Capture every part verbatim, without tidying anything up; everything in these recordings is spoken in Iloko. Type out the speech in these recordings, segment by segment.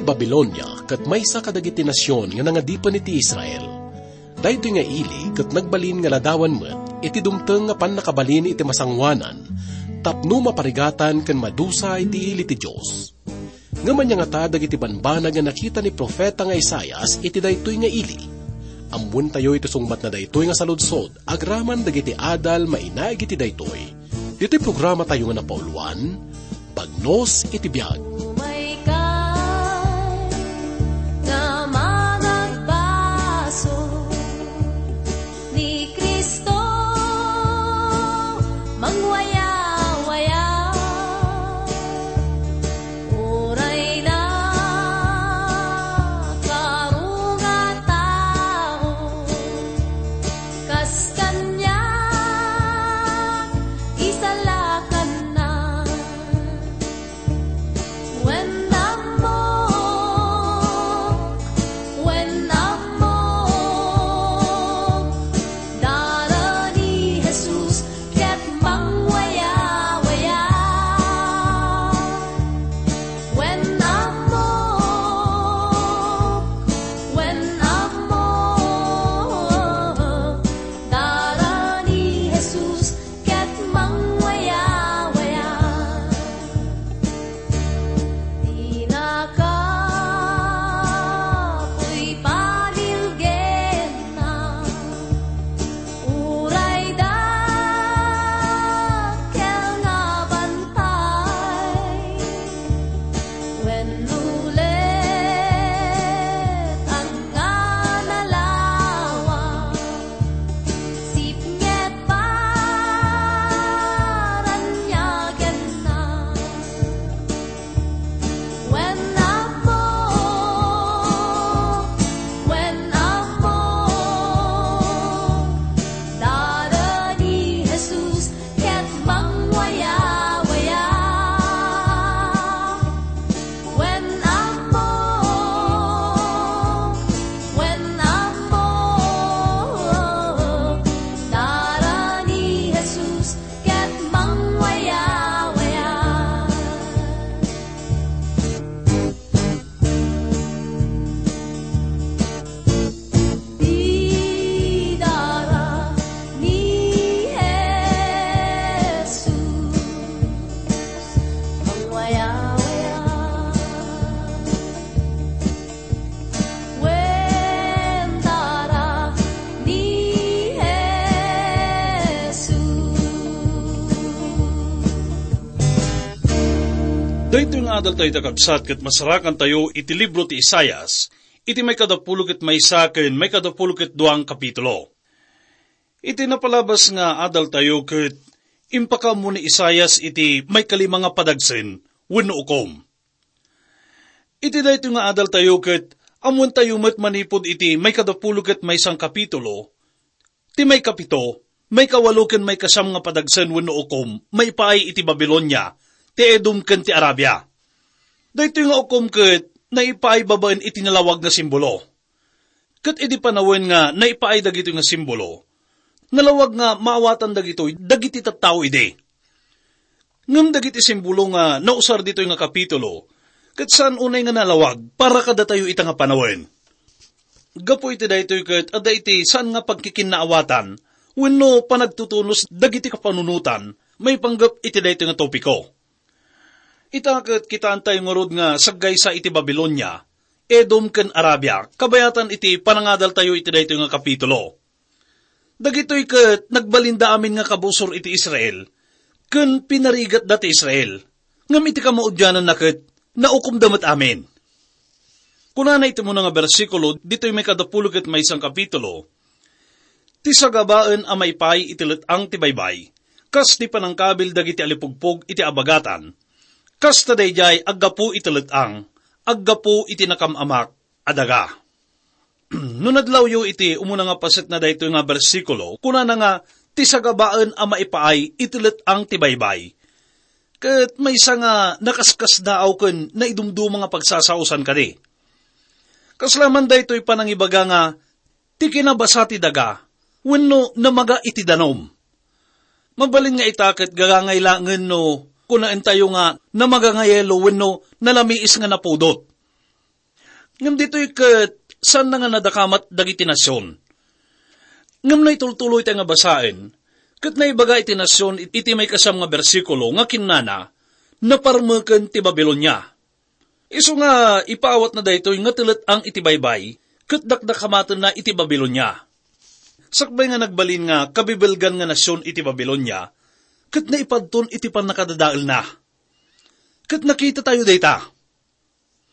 Babilonia ket maysa kadagiti nasion nga nangadipen iti Israel. Daytoy nga ili ket nagbalin nga ladawan met iti dumteng nga pannakabalin iti masangoanan tapno maparigatan ken madusa iti ili ti Dios. Ngem ania ngata dagiti banbanag nga nakita ni profeta nga Isaias iti daytoy nga ili? Ammoentayo iti sungbatna daytoy nga saludsod agraman dagiti adal mainaig iti daytoy. Ditoy programatayo nga napauluan, Bagnos iti Biag. Umayka nga managbaso ni Cristo, mangwayawaya. Uray na karungatao, kas kaniak isalakanna. Wen ammok, wen ammok, dara ni Jesus ket mangwayawaya. Wen ammok, wen ammok, dara ni Jesus ket mangwayawaya. Dinaka puy padilgenna, uray dakkel nga bantay, wenno let-ang nga nalawag. Sipnget paranyagenna. Wen ammok, wen ammok, dara ni Jesus ket mangwayawaya. Wen ammok, wen ammok, dara ni Jesus ket mangwayawaya. Dara ni Jesus mangwayawaya. Wen dara ni Jesus. Daytoy nga adal tayo, kakabsat, ket masarakantayo iti libro ti Isaias, iti maikadapulo ket maysa ken maikadapulo ket dua nga kapitulo. Iti napalabas nga adal tayo ket impakaammo ni Isaias iti maikalima nga padagsen wenno ukom. Iti daytoy nga adal tayo ket ammoentayo met manipud iti maikadapulo ket maysa nga kapitulo, ti maikapito, maikawalo ken maikasiam nga padagsen wenno ukom maipaay iti Babilonia, ti Edom ken ti Arabia. Daytoy nga ukom ket naipaay babaen iti nalawag nga simbolo. Ket idi panawen nga naipaay dagitoy nga simbolo, nalawag nga maawatan dagitoy dagiti tattao idi. Ngem dagiti simbolo nga nausar ditoy nga kapitulo, ket saan unay nga nalawag para kadatayo ita nga panawen. Gapu iti daytoy ket adda iti saan nga pagkikinnaawatan wenno panagtutunos dagiti kapanunotan maipanggep iti daytoy nga topiko. Ita ket kitaentayo ngarud nga saggaysa iti Babilonia, Edom ken Arabia, kabayatan iti panangadaltayo iti daytoy nga kapitulo. Dagitoy ket nagbalinda amin nga kabusor iti Israel, ken pinarigatda ti Israel. Ngem iti kamaudiananna ket naukomda met amin. Kunana iti umuna nga bersikulo ditoy maikadapulo ket maysa nga kapitulo, "Ti sagabaen a maipaay iti let-ang ti baybay, kas ti panangkabil dagiti alipugpog iti abagatan, kasta daydiay aggapu iti let-ang, aggapu iti nakam-amak a daga." No nadlawyo iti umuna nga paset na daytoy nga bersikulo, kunana nga, "Ti sagabaen a maipaay iti let-ang ti baybay." Ket maysa nga nakaskasdaaw ken naidumduma nga pagsasaosan kadi. Kasla man daytoy panangibaga nga ti kinabasa ti daga wenno namaga iti danum. Mabalin nga ita ket gagangay laengen no kunaentayo nga namaga nga yelo wenno nalamiis nga napudot. Ngem ditoy ket saanna nga nadakamat dagiti nasion. Ngem naitultuloy tayo nga basaen, ket naibaga iti nasion iti maikasam nga bersikulo nga kinnana, "Naparmeken ti Babilonia." Isu nga ipaawatna daytoy nga telet-ang iti baybay, ket dakdakamatenna iti Babilonia. Sakbay nga nagbalin nga kabibilgan nga nasion iti Babilonia, ket naipadton iti pannakadadaelna. Ket nakita tayo dayta.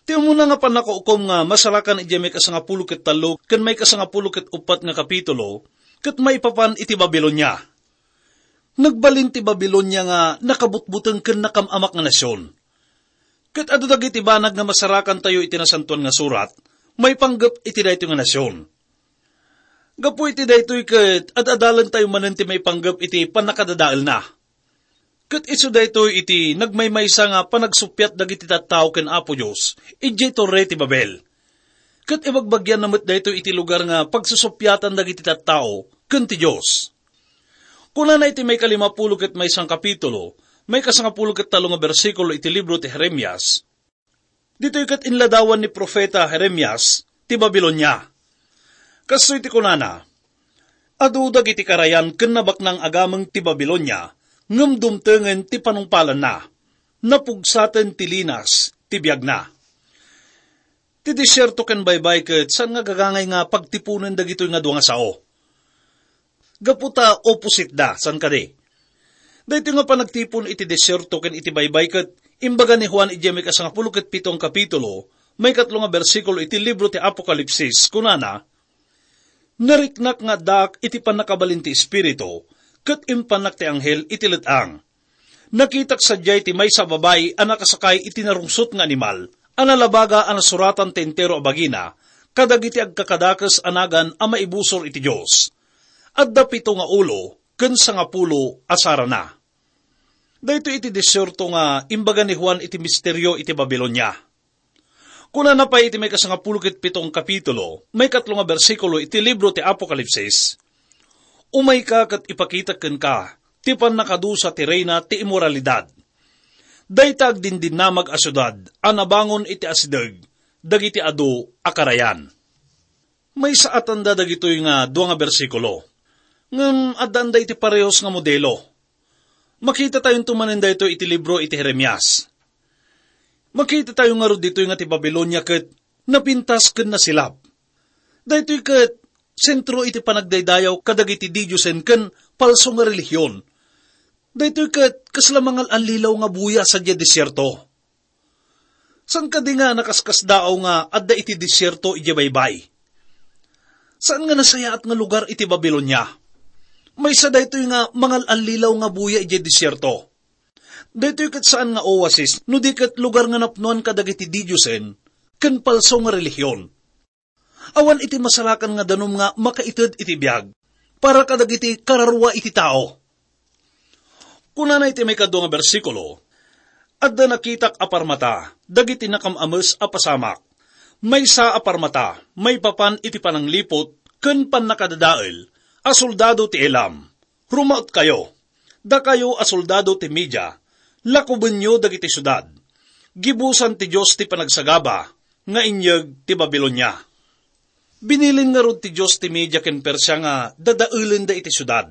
Ti umuna nga pannakaukom nga masarakan idiay maikasangapulo ket tallo ken maikasangapulo ket uppat nga kapitulo, ket maipapan iti Babilonia. Nagbalin ti Babilonia nga nakabutbuteng ken nakam-amak nga nasion. Ket adu dagiti banag nga masarakan tayo iti Nasantoan nga Surat, maipanggep iti daytoy nga nasion. Gapu iti daytoy ket ad-adalen tayo manen ti maipanggep iti pannakadadaelna. Ket isu daytoy iti nagmaymaysa nga panagsuppiat dagiti tattao ken Apo Dios idiay Torre ti Babel. Ket ibagbagianna met daytoy iti lugar nga pagsusuppiatan dagiti tattao ken ti Dios. Kunana iti maikalimapulo ket maysa nga kapitulo, maikasangapulo ket tallo nga bersikulo iti libro ti Jeremias, Ditoy ket inladawan ni profeta Jeremias ti Babilonia. Kastoy ti kunana, "Adu dagiti karayan ken nabaknang agameng ti Babilonia, ngem dumtengen ti panungpalanna. Napugsaten ti linas ti biagna." Ti desierto ken baybay ket saan nga gagangay nga pagtipunen dagitoy nga dua nga sao. Gapu ta opposite da, saan kadi? Daytoy nga panagtipon iti desierto ken iti baybay ket imbaga ni Juan idiay maikasangapulo ket pito nga kapitulo, maikatlo nga bersikulo iti libro ti Apokalipsis, kunana, "Nariknak nga addaak iti pannakabalin ti Espiritu, ket impannak ti anghel iti let-ang. Nakitak sadiay ti maysa a babai a nakasakay iti narungsot nga animal, a nalabaga a nasuratan ti entero a bagina, kadagiti agkakadakes a nagan a maibusor iti Dios. Adda pito nga ulo ken sangapulo a sarana." Daytoy iti desierto nga imbaga ni Juan iti misterio iti Babilonia. Kunana pay iti maikasangapulo ket pito nga kapitulo, maikatlo nga bersikulo iti libro ti Apokalipsis, "Umayka ket ipakitak kenka ti pannakadusa ti reyna ti immoralidad. Dayta agdindinnamag a siudad a nabangon iti asideg dagiti adu a karayan." Maysaatanda dagitoy nga dua nga bersikulo. Ngem addaanda iti parehos nga modelo. Makita tayonto manen daytoy iti libro iti Jeremias. Makita tayo ngarud ditoy nga ti Babilonia ket napintas ken nasilap. Daytoy ket sentro iti panagdaydayaw kadagiti didiosen ken palso nga relihion. Daytoy ket kasla mangal-allilaw nga buya sadiay desierto. Saan kadi nga nakaskasdaaw nga adda iti desierto idiay baybay? Saan nga nasayaat nga lugar iti Babilonia? Maysa daytoy nga mangal-allilaw nga buya idiay desierto. Daytoy ket saan nga oasis, no di ket lugar nga napnoan kadagiti didiosen ken palso nga relihion. Awan iti masarakan nga danum nga makaited iti biag para kadagiti kararua iti tao. Kunana iti maikadua nga bersikulo, "Adda nakitak a parmata dagiti nakam-ames a pasamak. Maysa a parmata maipapan iti panangliput ken pannakadadael a soldado ti Elam. Rumautkayo, dakayo a soldado ti Media, lakubenyo dagiti siudad. Gibusan ti Dios ti panagsagaba nga inyeg ti Babilonia." Binilin ngarud ti Dios ti Media ken Persia nga dadaelenda iti siudad.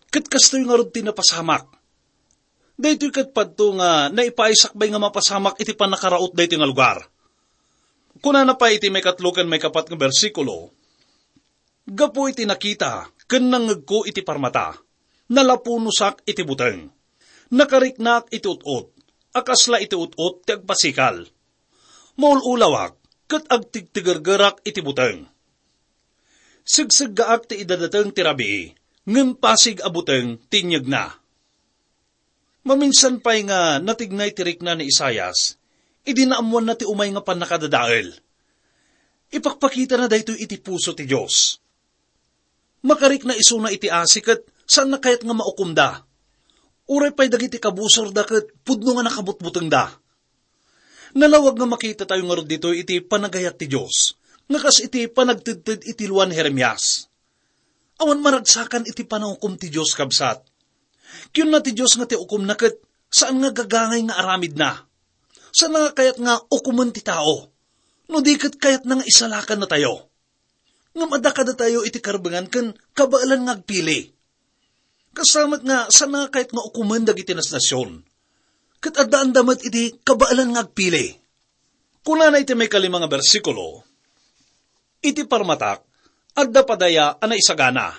Ket kastoy ngarud ti napasamak. Daytoy ket padto nga naipaay sakbay nga mapasamak iti pannakaraut daytoy nga lugar. Kunana pay iti maikatlo ken maikapat nga bersikulo, "Gapu iti nakita ken nangngegko iti parmata, nalapunosak iti buteng. Nakariknaak iti ut-ot, a kasla iti ut-ot ti agpasikal. Maul-ulawak, ket agtigtigergerak iti buteng. Segseggaak ti idadateng ti rabii, ngem pasig a buteng ti inyegna." Maminsan pay nga natignay ti rikna ni Isaias, idi naammoanna ti umay nga pannakadadael. Ipakpakitana daytoy iti puso ti Dios. Makarikna isuna iti asi ket saanna kayat nga maukomda. Uray pay dagiti kabusorda ket pudno nga nakabutbutengda. Nalawag nga makita tayo ngarud ditoy iti panagayat ti Dios, nga kas iti panagtedted iti lua ni Jeremias. Awan maragsakan iti panangukom ti Dios, kabsat. Kiuna ti Dios nga ti ukomna ket saan nga gagangay nga aramidna. Saan nga kayat nga ukomen ti tao. No di ket kayatna nga isalakannatayo. Ngem adda kadatayo iti karbengan ken kabaelan nga agpili. Kasta met nga saan nga kayat nga ukomen dagiti nasnasion. Ket addaanda met iti kabaelan nga agpili. Kunana iti maikalima nga bersikulo, "Iti parmatak, adda padaya a naisagana.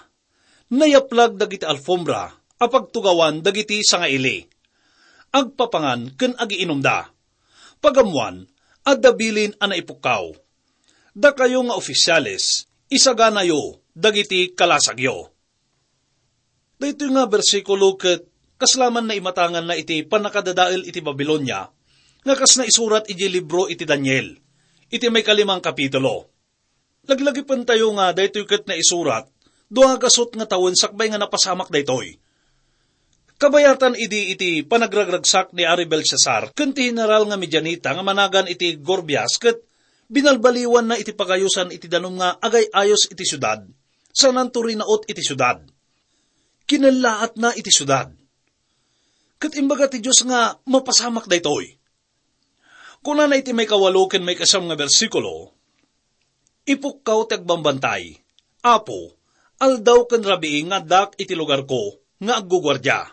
Nayaplag dagiti alfombra a pagtugawan dagiti sangaili. Agpapangan ken agiinumda. Pagammoan, adda bilin a naipukkaw. Dakayo nga ofisiales, isaganayo dagiti kalasagyo." Daytoy nga bersikulo ket kasla man naimatanganna iti pannakadadael iti Babilonia, nga kas naisurat iti libro iti Daniel, iti maikalimang kapitulo. Laglagipentayo nga daytoy ket naisurat dua gasut nga tawen sakbay nga napasamak daytoy. Kabayatan idi iti panagragragsak ni Ari Belshazzar ken ti general nga Midianita nga managan iti Gorgias ket binalbaliwanna iti pagayosan iti danum nga agay-ayos iti siudad, sananto rinaut iti siudad. Kinallaatna iti siudad. Ket imbaga ti Dios nga mapasamak daytoy. Kunana iti maikawalo ken maikasam nga bersikulo, "Ipukkaw ti agbambantay, Apo, aldaw ken rabii nga addak iti lugarko nga agguguardia.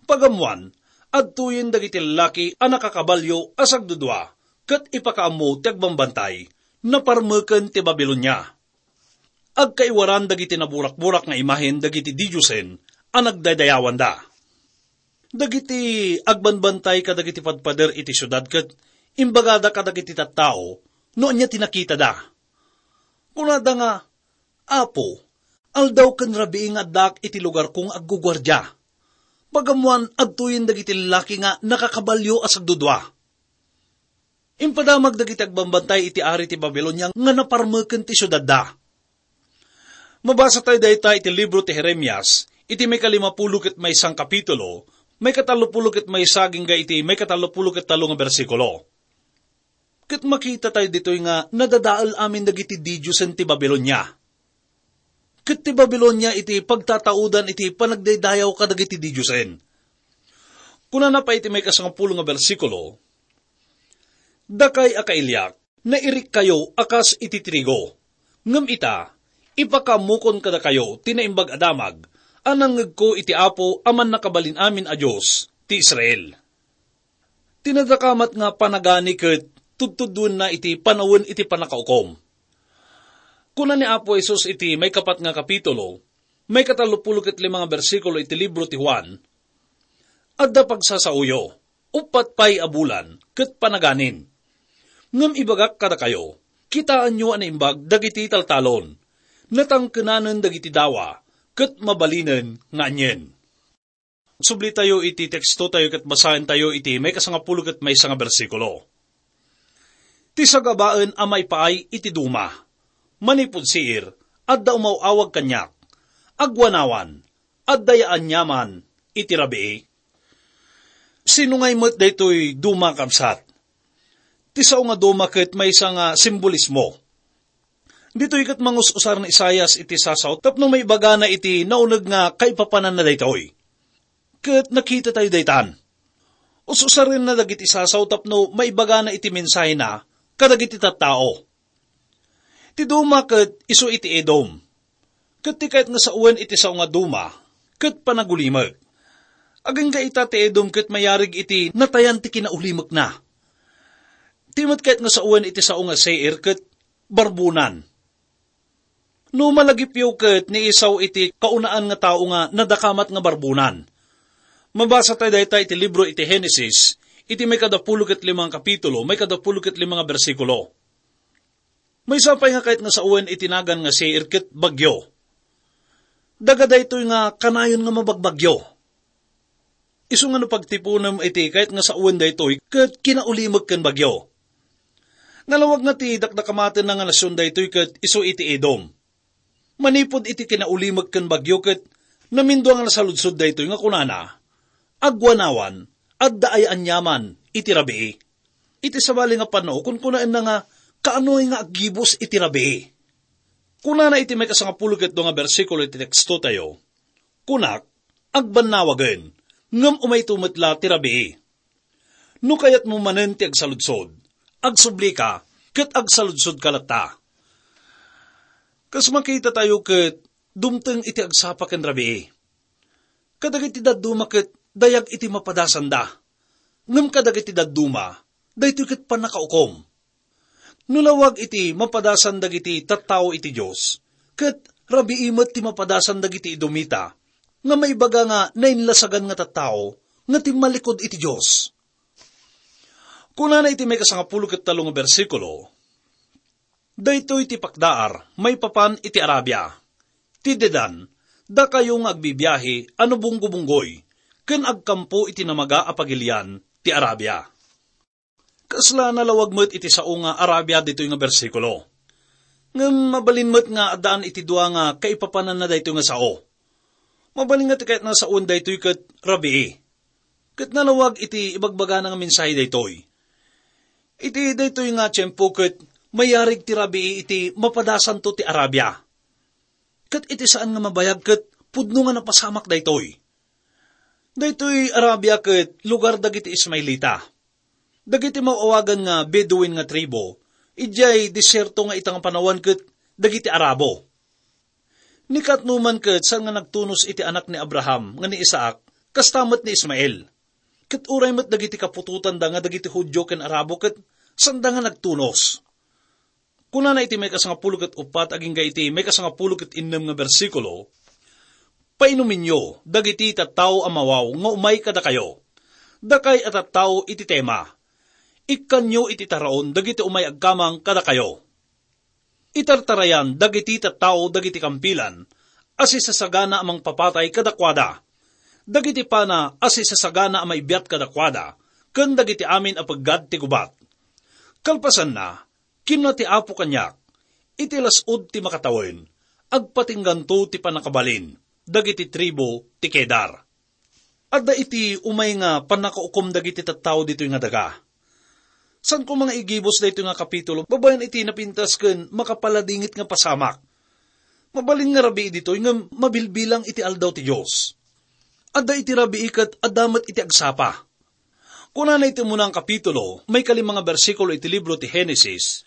Pagammoan, adtoyen dagiti lallaki a nakakabalio a sagdudua ket ipakaammo ti agbambantay, naparmeken ti Babilonia. Agkaiwaran dagiti naburakburak nga imahen dagiti didiosen a nagdaydayawanda." Dagiti agbanbantay kadagiti padpader iti siudad ket imbagada kadagiti tattao no ania ti nakitada. Kunada nga, "Apo, aldaw ken rabii nga addak iti lugarko nga agguguardia. Pagammoan, adtoyen dagiti lallaki nga nakakabalio a sagdudua." Impadamag dagiti agbambantay iti ari ti Babilonia nga naparmeken ti siudadda. Mabasa tayo dayta iti libro ti Jeremias, iti maikalimapulo ket maysa nga kapitulo, maikatallopulo ket maysa agingga iti maikatallopulo ket tallo nga bersikulo. Ket makita tayo ditoy nga nadadael amin dagiti didiosen ti Babilonia. Ket ti Babilonia iti pagtataudan iti panagdaydayaw kadagiti didiosen. Kunana pay iti maikasangapulo nga bersikulo, "Dakay a kailiak, nairikkayo a kas iti trigo. Ngem ita, ipakaammokon kadakayo ti Naimbag a Damag a nangngegko iti Apo a Mannakabalin-amin a Dios ti Israel." Ti nadakamat nga panagani ket tudtuduenna iti panawen iti pannakaukom. Kuna ni Apo Jesus iti maikapat nga kapitulo, maikatallopulo ket lima nga bersikulo iti libro ti Juan, "Adda pagsasaoyo, uppat pay a bulan, ket panaganin. Ngem ibagak kadakayo, kitaenyo a naimbag dagiti taltalon. Natangkenanen dagiti dawa, ket mabalinen nga anien." Subli tayo iti teksto tayo ket basaen tayo iti maikasangapulo ket maysa nga bersikulo. "Ti sagabaen a maipaay iti duma, manipud Seir, adda umaw-awag kaniak. Aguanawan, adda ya aniaman iti rabii." Sino ngay met daytoy duma, kabsat? Ti sao nga duma ket maysa nga simbolismo. Ditoy ket mangus-usar ni Isaias iti sasaw tapno maibagana iti nauneg nga kaipapananna daytoy. Ket nakita tayo daytan. Us-usarenna dagiti sasaw tapno maibagana iti mensahena kadagiti tattao. Ti duma ket isu iti Edom. Ket ti kayat nga sawen iti sao nga duma, ket panagulimek. Agingga ita ti Edom ket mayarig iti natayan ti kinaulimekna. Ti met kayat nga sawen iti sao nga Seir ket barbonan. No malagipyo ket ni Esau iti kaunaan nga tao nga nadakamat nga barbonan. Mabasa tayo dayta iti libro iti Genesis, iti maikadapulo ket lima nga kapitulo, maikadapulo ket lima nga bersikulo. Maysa pay nga kayat nga sawen iti nagan nga Seir ket bagyo. Daga daytoy nga kanayon nga mabagbagyo. Isu nga no pagtiponem iti kayat nga sawen daytoy ket kinaulimek ken bagyo. Nalawag nga ti dakdakamatenna nga nasion daytoy ket isu iti Edom. Manipud iti kinaulimek ken bagyo ket namindua nga nasaludsod daytoy nga kunana, "Aguanawan, adda aya aniaman iti rabii?" Iti sabali nga pannao, kunkunaenna nga, "Kaanoy nga aggibus iti rabii?" Kunana iti maikasangapulo ket dua nga bersikulo iti teksto tayo, "Kunak, agbannawagen, ngem umayto met la ti rabii." No kayatmo manen ti agsaludsod, agsublika, ket agsaludsodka latta. Kas makitatayo ket dumteng iti agsapa ken rabii. Kadagiti dadduma ket dayag iti mapadasanda. Ngem kadagiti dadduma, daytoy ket pannakaukom. No lawag iti mapadasan dagiti tattao iti Dios, ket rabii met ti mapadasan dagiti Edomita, nga maibaga nga nainlasagan nga tattao nga timmallikud iti Dios. Kunana iti maikasangapulo ket tallo nga bersikulo, "Daytoy ti pakdaar maipapan iti Arabia. Ti Dedan, dakayo nga agbibiahe a nabunggobunggoy, ken agkampo iti namaga a pagilian ti Arabia." Kasla nalawag met iti sao nga Arabia ditoy nga bersikulo. Ngem mabalin met nga addaan iti dua nga kaipapananna daytoy nga sao. Mabalin nga ti kayatna sawen daytoy ket rabii. Ket nalawag iti ibagbagana nga mensahe daytoy. Iti daytoy nga tiempo ket mayarig ti rabii iti mapadasanto ti Arabia. Ket iti saan nga mabayag ket pudno nga napasamak daytoy. Daytoy Arabia ket lugar dagiti Ismaelita. Dagiti maawagan nga Bedouin nga tribo, idiay desierto nga ita nga panawan ket dagiti Arabo. Ni katno man ket saan nga nagtunos iti anak ni Abraham nga ni Isaac, kasta met ni Ismael. Ket uray met dagiti kaputotanda nga dagiti Judio ken Arabo ket saanda nga nagtunos. Kunana iti maikasangapulo ket uppat agingga iti maikasangapulo ket innem nga bersikulo, "Painuminyo dagiti tattao a mawaw nga umay kadakayo. Dakay a tattao iti tema. Ikkanyo iti taraon dagiti umay agkamang kadakayo. Itartarayan dagiti tattao dagiti kampilan a sisasagana a mangpapatay kadakuada, dagiti pana a sisasagana a maibiat kadakuada, ken dagiti amin a peggad ti gubat. Kalpasanna, kinuna ti Apo kaniak, iti las-ud ti makatawen, agpatingganto ti pannakabalin dagiti tribu ti Kedar." Adda iti umay nga pannakaukom dagiti tattao ditoy nga daga. Saan koma nga igibus daytoy nga kapitulo babaen iti napintas ken makapaladingit nga pasamak. Mabalin nga rabii ditoy ngem mabilbilang iti aldaw ti Dios. Adda iti rabii ket adda met iti agsapa. Kunana iti umuna nga kapitulo, maikalima nga bersikulo iti libro ti Genesis,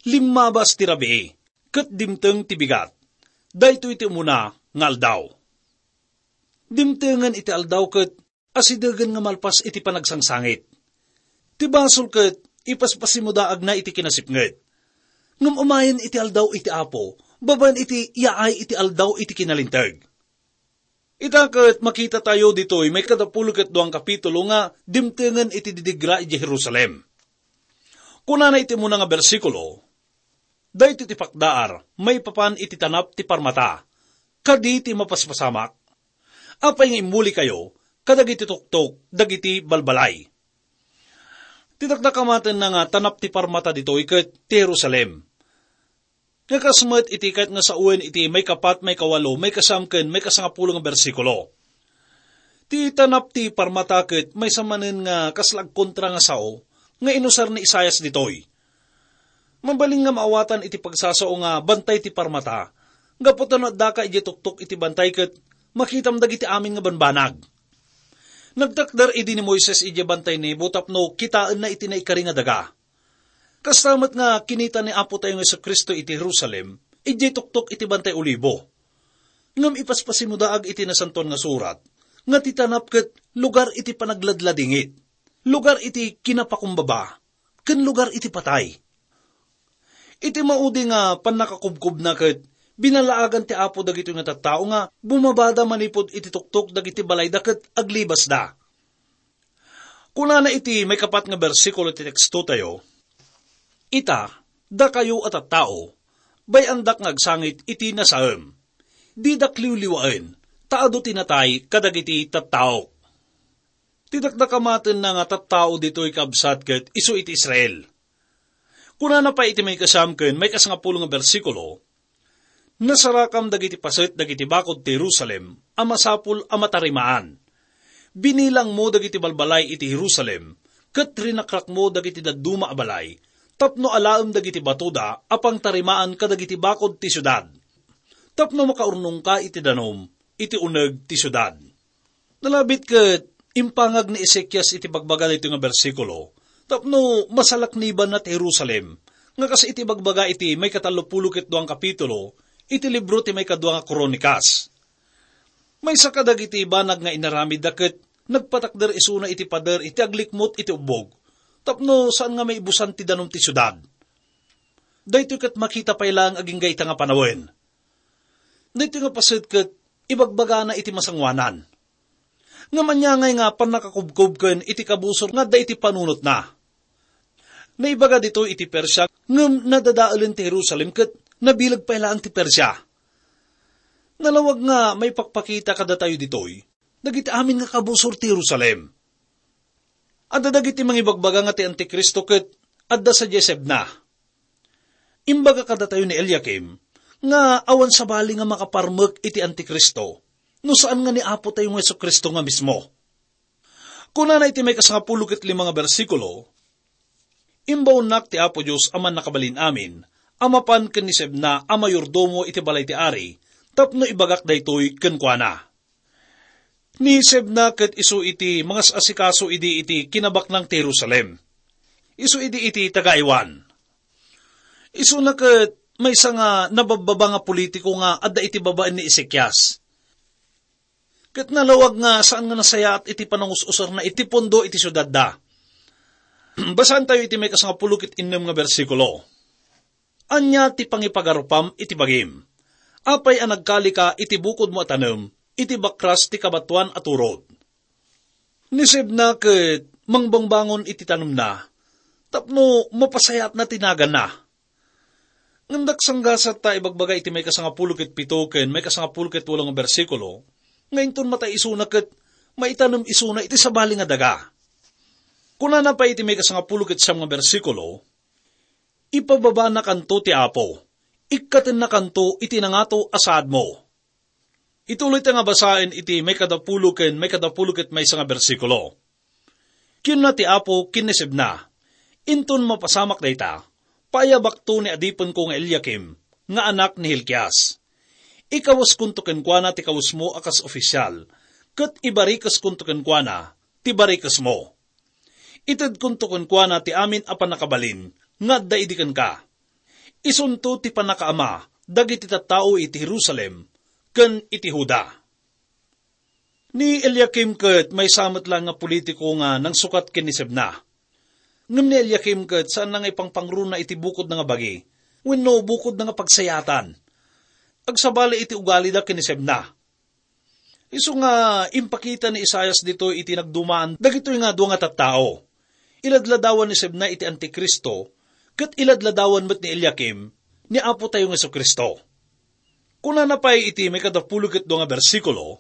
"Limmabas ti rabii, ket dimteng ti bigat. Daytoy ti umuna nga aldaw." Dimtengen iti aldaw ket asidegen nga malpas iti panagsangsangit. Ti basol ket ipaspasimudaagna iti kinasipnget. Ngem umayen iti aldaw iti Apo, babaen iti yaay iti aldaw iti kinalinteg. Ita ket makitatayo ditoy maikadapulo ket duang kapitulo nga dimtengen iti didigra idiay Jerusalem. Kunana iti umuna nga bersikulo, "Daytoy ti pakdaar maipapan iti tanap ti parmata, kadi ti mapaspasamak. Apay nga immulikayo kadagiti tuktok dagiti balbalay?" Ti dakdakamatenna nga tanap ti parmata ditoy ket ti Jerusalem. Nga kas met iti kayat nga sawen iti maikapat, maikawalo, maikasam ken maikasangapulo nga bersikulo. Ti tanap ti parmata ket maysa manen nga kasla agkontra nga sao nga inusar ni Isaias ditoy. Mabalin nga maawatan iti pagsasao nga bantay ti parmata, gapu ta no addaka idiay tuktok iti bantay ket makitam dagiti amin nga banbanag. Nagtakder idi ni Moises idiay Bantay Nebo tapno kitaenna iti naikari nga daga. Kasta met nga kinita ni Apo tayo nga Jesu-Cristo iti Jerusalem, idiay tuktok iti Bantay Olibo. Ngem ipaspasimudaag iti Nasantoan nga Surat nga ti tanap ket lugar iti panagladladingit, lugar iti kinapakumbaba, ken lugar iti patay. Iti maudi nga pannakakubkobna ket binalaagan ti Apo dagitoy nga tattao nga bumabada manipud iti tuktok dagiti balayda ket aglibasda. Kunana iti maikapat nga bersikulo ti teksto tayo, "Ita, dakayo a tattao, bay-andak nga agsangit iti nasaem. Didak liwliwaen, ta adu ti natay kadagiti tattaok." Ti dakdakamatenna nga tattao ditoy, kabsat, ket isu iti Israel. Kunana pay iti maikasam ken maikasangapulo nga bersikulo, "Nasarakam dagiti paset dagiti bakod ti Jerusalem a masapul a matarimaan. Binilangmo dagiti balbalay iti Jerusalem, ket rinakrakmo dagiti dadduma a balay, tapno alaem dagiti batoda a pangtarimaan kadagiti bakod ti siudad, tapno makaurnongka iti danum iti uneg ti siudad." Nalabit ket impangag ni Ezekias iti pagbaga daytoy nga bersikulo tapno masalaknibanna ti Jerusalem nga kas iti bagbaga iti maikatallopulo ket dua nga kapitulo iti libro ti maikadua nga Kronikas. Maysa kadagiti banag nga inaramidda ket nagpatakder isuna iti pader iti aglikmut iti ubbog, tapno saan nga maibusan ti danum ti siudad. Daytoy ket makita pay laeng agingga ita nga panawen. Daytoy nga paset ket ibagbagana iti masangoanan. Ngem ania ngay nga pannakakubkob ken iti kabusor nga adda iti panunotna? Naibaga ditoy iti Persia, ngem nadadaelen ti Jerusalem ket nabileg pay laeng ti Persia. Nalawag nga maipakpakita kadatayo ditoy dagiti amin nga kabusor ti Jerusalem. Adda dagiti mangibagbaga nga ti Antikristo ket adda sadiay Sebna. Imbaga kadatayo ni Eliakim nga awan sabali nga makaparmek iti Antikristo no saan nga ni Apo tayo nga Jesu-Cristo nga mismo. Kunana iti maikasangapulo ket lima nga bersikulo, "Imbaonnak ti Apo Dios a Mannakabalin-amin a mapan ken ni Sebna a mayordomo iti balay ti ari tapno ibagak daytoy kenkuana." Ni Sebna ket isu iti mangas-asikaso idi iti kinabaknang ti Jerusalem. Isu idi iti taga-aywan. Isuna ket maysa nga nababbaba nga politiko nga adda iti babaen ni Ezekias. Ket nalawag nga saan nga nasayaat iti panangus-usarna iti pundo iti siudadda. Basaentayo iti maikasangapulo ket innem nga bersikulo. "Ania ti pangipagarupam iti bagim? Apay a nagkalika iti bukodmo a tanem iti bakras ti kabatoan a turod?" Ni Sebna ket mangbangbangon iti tanemna tapno mapasayaatna ti naganna. Ngem daksanggasat ta ibagbaga iti maikasangapulo ket pito ken maikasangapulo ket walo nga bersikulo nga inton matay isuna ket maitanem isuna iti sabali nga daga. Kunana pay iti maikasangapulo ket siam nga bersikulo, "Ipababanakanto ti Apo, ikkatennakanto iti nangato a saadmo." Ituloy ta nga basaen iti maikadapulo ken maikadapulo ket maysa nga bersikulo. Kinuna ti Apo ken ni Sebna, "Inton mapasamak dayta, paayabakto ni adipenko nga Eliakim nga anak ni Hilkias. Ikaweskonto kenkuana ti kawesmo a kas ofisial, ket ibarikeskonto kenkuana ti barikesmo. Itedkonto kenkuana ti amin a pannakabalin nga adda idi kenka. Isunto ti pannakaama dagiti tattao iti Jerusalem ken iti Juda." Ni Eliakim ket maysa met laeng nga politiko nga nangsukat ken ni Sebna. Ngem ni Eliakim ket saanna nga ipangpangruna iti bukodna nga bagi wenno bukodna nga pagsayaatan. Agsabali iti ugalida ken ni Sebna. Isu nga impakita ni Isaias ditoy iti nagdumaan dagitoy nga dua nga tattao. Iladladawan ni Sebna iti Antikristo, ket iladladawan met ni Eliakim ni Apo tayo nga Jesu-Cristo. Kunana pay iti maikadapulo ket dua nga bersikulo,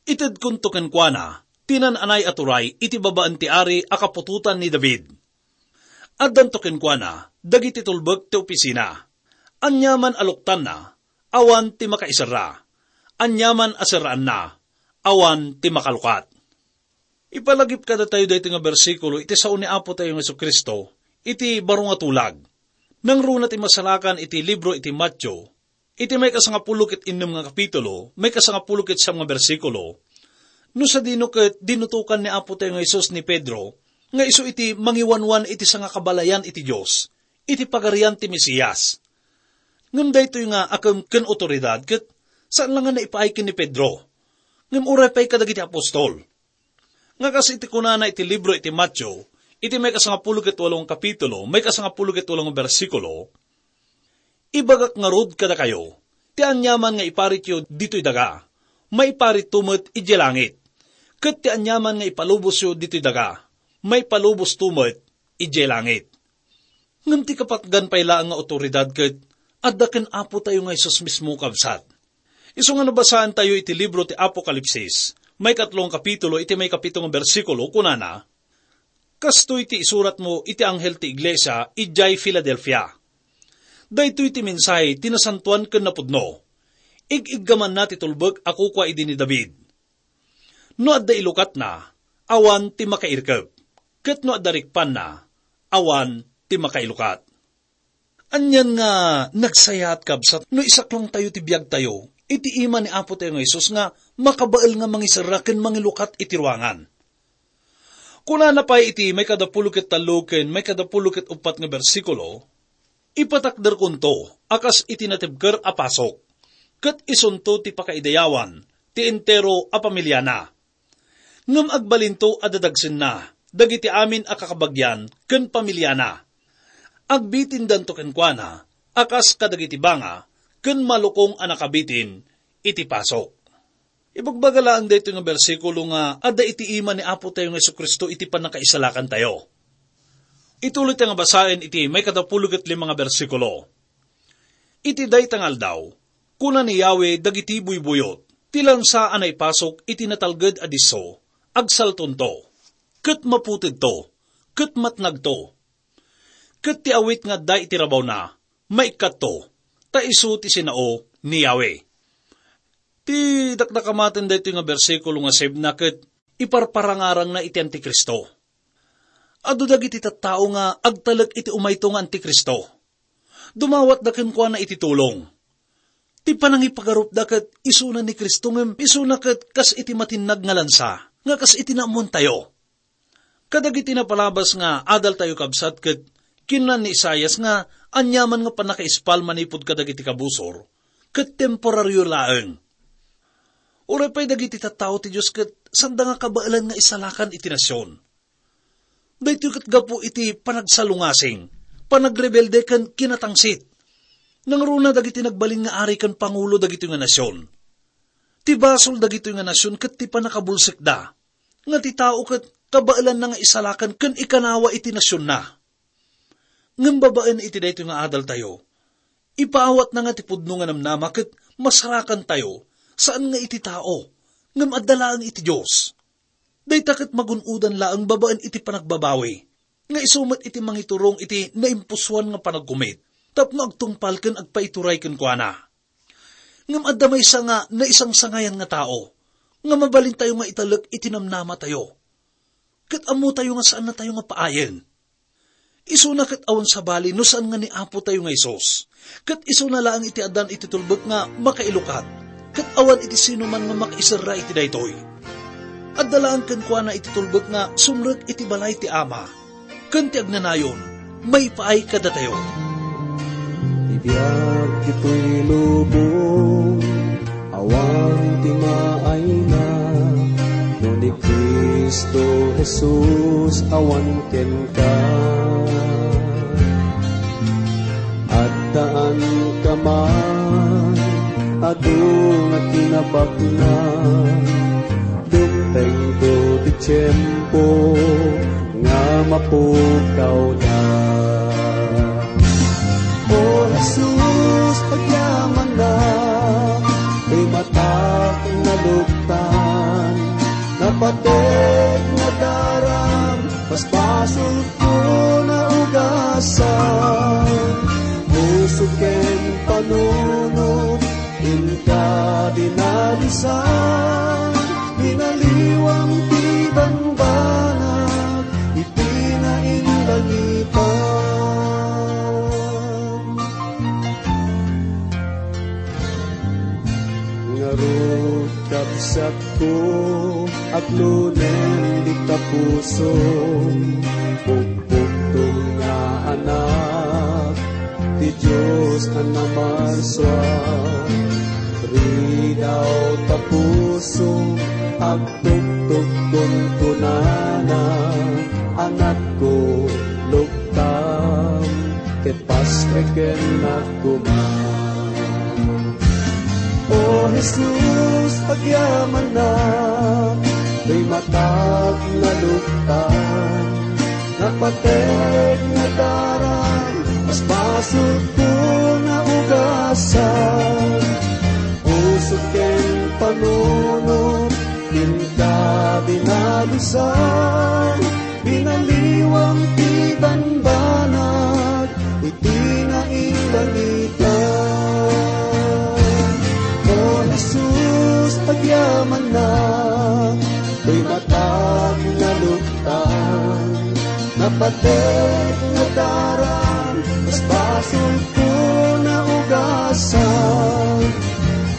"Itedkonto kenkuana ti nan-anay a turay iti babaen ti ari a kaputotan ni David. Addanto kenkuana dagiti tulbek ti opisina. Aniaman a luktanna, awan ti makaiserra. Aniaman a serraanna, awan ti makalukat." Ipalagip kadatayo daytoy nga bersikulo iti sao ni Apo tayo nga Jesu-Cristo iti baro nga tulag. Nangruna ti masarakan iti libro iti Mateo, iti maikasangapulo ket innem nga kapitulo, maikasangapulo ket siam nga bersikulo, no sadino ket dinutokan ni Apo tayo nga Jesus ni Pedro nga isu iti mangiwanwan iti sangakabalayan iti Dios, iti Pagarian ti Mesias. Ngem daytoy nga akem ken awtoridad ket saan la nga naipaay ken ni Pedro, ngem uray pay kadagiti apostol. Nga kas iti kunana iti libro iti Mateo, iti maikasangapulo ket walo nga kapitulo, maikasangapulo ket walo nga bersikulo, "Ibagak ngarud kadakayo, ti aniaman nga iparityo ditoy daga, maiparitto met idiay langit. Ket ti aniaman nga ipalubosyo ditoy daga, maipalubosto met idiay langit." Ngem ti kapatgan pay laeng nga awtoridad ket adda ken Apo tayo nga Jesus mismo, kabsat. Isu nga nabasaen tayo iti libro ti Apokalipsis, maikatlo nga kapitulo, iti maikapito nga bersikulo, kunana, "Kastoy ti isuratmo iti anghel ti iglesia idiay Filadelfia. Daytoy ti mensahe ti nasantoan ken napudno. Ig-iggamanna ti tulbek a kukua idi ni David. No adda ilukatna, awan ti makairkep, ket no adda rikpanna, awan ti makailukat." Anian nga nagsayaat, kabsat, no isaklongtayo ti biagtayo iti ima ni Apo tayo nga Jesus nga makabael nga mangiserra ken mangilukat iti ruangan. Kunana pay iti maikadapulo ket tallo ken maikadapulo ket uppat nga bersikulo, Ipatakderkonto a kas iti natibker a pasok, ket isunto ti pakaidayawan ti entero a pamiliana. Ngem agbalinto a dadagsenna dagiti amin a kakabagian ken pamiliana. Agbitindanto kenkuana a kas kadagiti banga ken malukong a nakabitin iti pasok. Ibagbaga laeng daytoy nga bersikulo nga adda iti ima ni Apo tayo nga Jesu-Cristo iti pannakaisalakantayo. Ituloy tayo nga basaen iti maikadapulo ket lima nga bersikulo. Iti dayta nga aldaw, kuna ni Yahweh dagiti buybuyot, "Ti lansa a naipasok iti natalged a disso, agsaltonto, ket maputedto, ket matnagto, ket ti awit nga adda iti rabawna, maikkatto, ta isu ti sinao ni Yahweh." Ti dakdakamaten daytoy nga bersikulo nga sebna ket iparparangarangna iti Antikristo. Adu dagiti tattao nga agtalek iti umayto nga Antikristo. Dumawatda kenkuana iti tulong. Ti panangipagarupda ket isuna ni Cristo ngem isuna ket kas iti matinnag nga lansa, nga kas iti naammoantayo. Kadagiti napalabas nga adaltayo, kabsat, ket kinuna ni Isaias nga aniaman nga pannakaispal manipud kadagiti kabusor, ket temporario laeng. Uray pay dagiti tattao ti Dios ket sanda nga kabaelan nga isalakan iti nasion. Daytoy ket gapu iti panagsalungasing, panagrebelde ken kinatangsit. Nangruna dagiti nagbalin nga ari ken pangulo dagitoy nga nasion. Ti basol dagitoy nga nasion ket ti pannakabulsekda, nga ti tao ket kabaelanna nga isalakan ken ikanawa iti nasionna. Ngem babaen iti daytoy nga adaltayo, ipaawatna nga ti pudno nga namnama ket masarakantayo, saan nga iti tao, ngem adda laeng iti Dios. Dayta ket magun-odan laeng babaen iti panagbabawi, nga isu met iti mangiturong iti naimpusoan nga panagkumit tapno agtungpal ken agpaituray kenkuana. Ngem adda maysa nga naisangsangayan nga tao nga mabalintayo nga italek iti namnamatayo. Ket ammotayo nga saannatayo nga paayen. Isuna ket awan sabali no saan nga ni Apotayo nga Jesus. Ket isuna laeng iti addan iti tulbek nga makailukat. Ket awan iti sinuman nga makaiserra iti daytoy. Adda laeng kenkuana iti tulbek nga sumrek iti balay ti Ama. Ken ti agnanayon, maipaay kadatayo. Ti biag ditoy lubong, awan ti maayna, no ni Cristo Jesus awan kenka. Addaan ka man, adu nga kinabaknang, dumtengto ti tiempo nga mapukawda. O Jesus, agyamanak, ti matak naluktan, napatek nadaram, basbasolko naugasan, puso ken panunot, inka dinalusan, binaliwam ti bambanag iti nainlangitan. Ngarud, kabsatko, aglunen dita puso, pukpukto nga anak ti Dios a namansua. Ridaw ta puso, agtuktukon kunana, anakko, luktam, ket pasrekennak koma. O Jesus, agyamanak, ti matak naluktan, napatek nadaram, basbasolko naugasan, puso ken panunot, inka dinalusan, binaliwam ti bambanag iti nainlangitan. O Jesus, agyamanak, ti matak naluktan, napatek nadaram, basbasolko naugasan,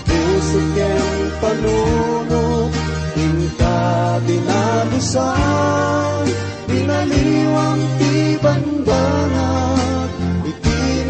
puso ken panunot, inka dinalusan, binaliwam ti bambanag iti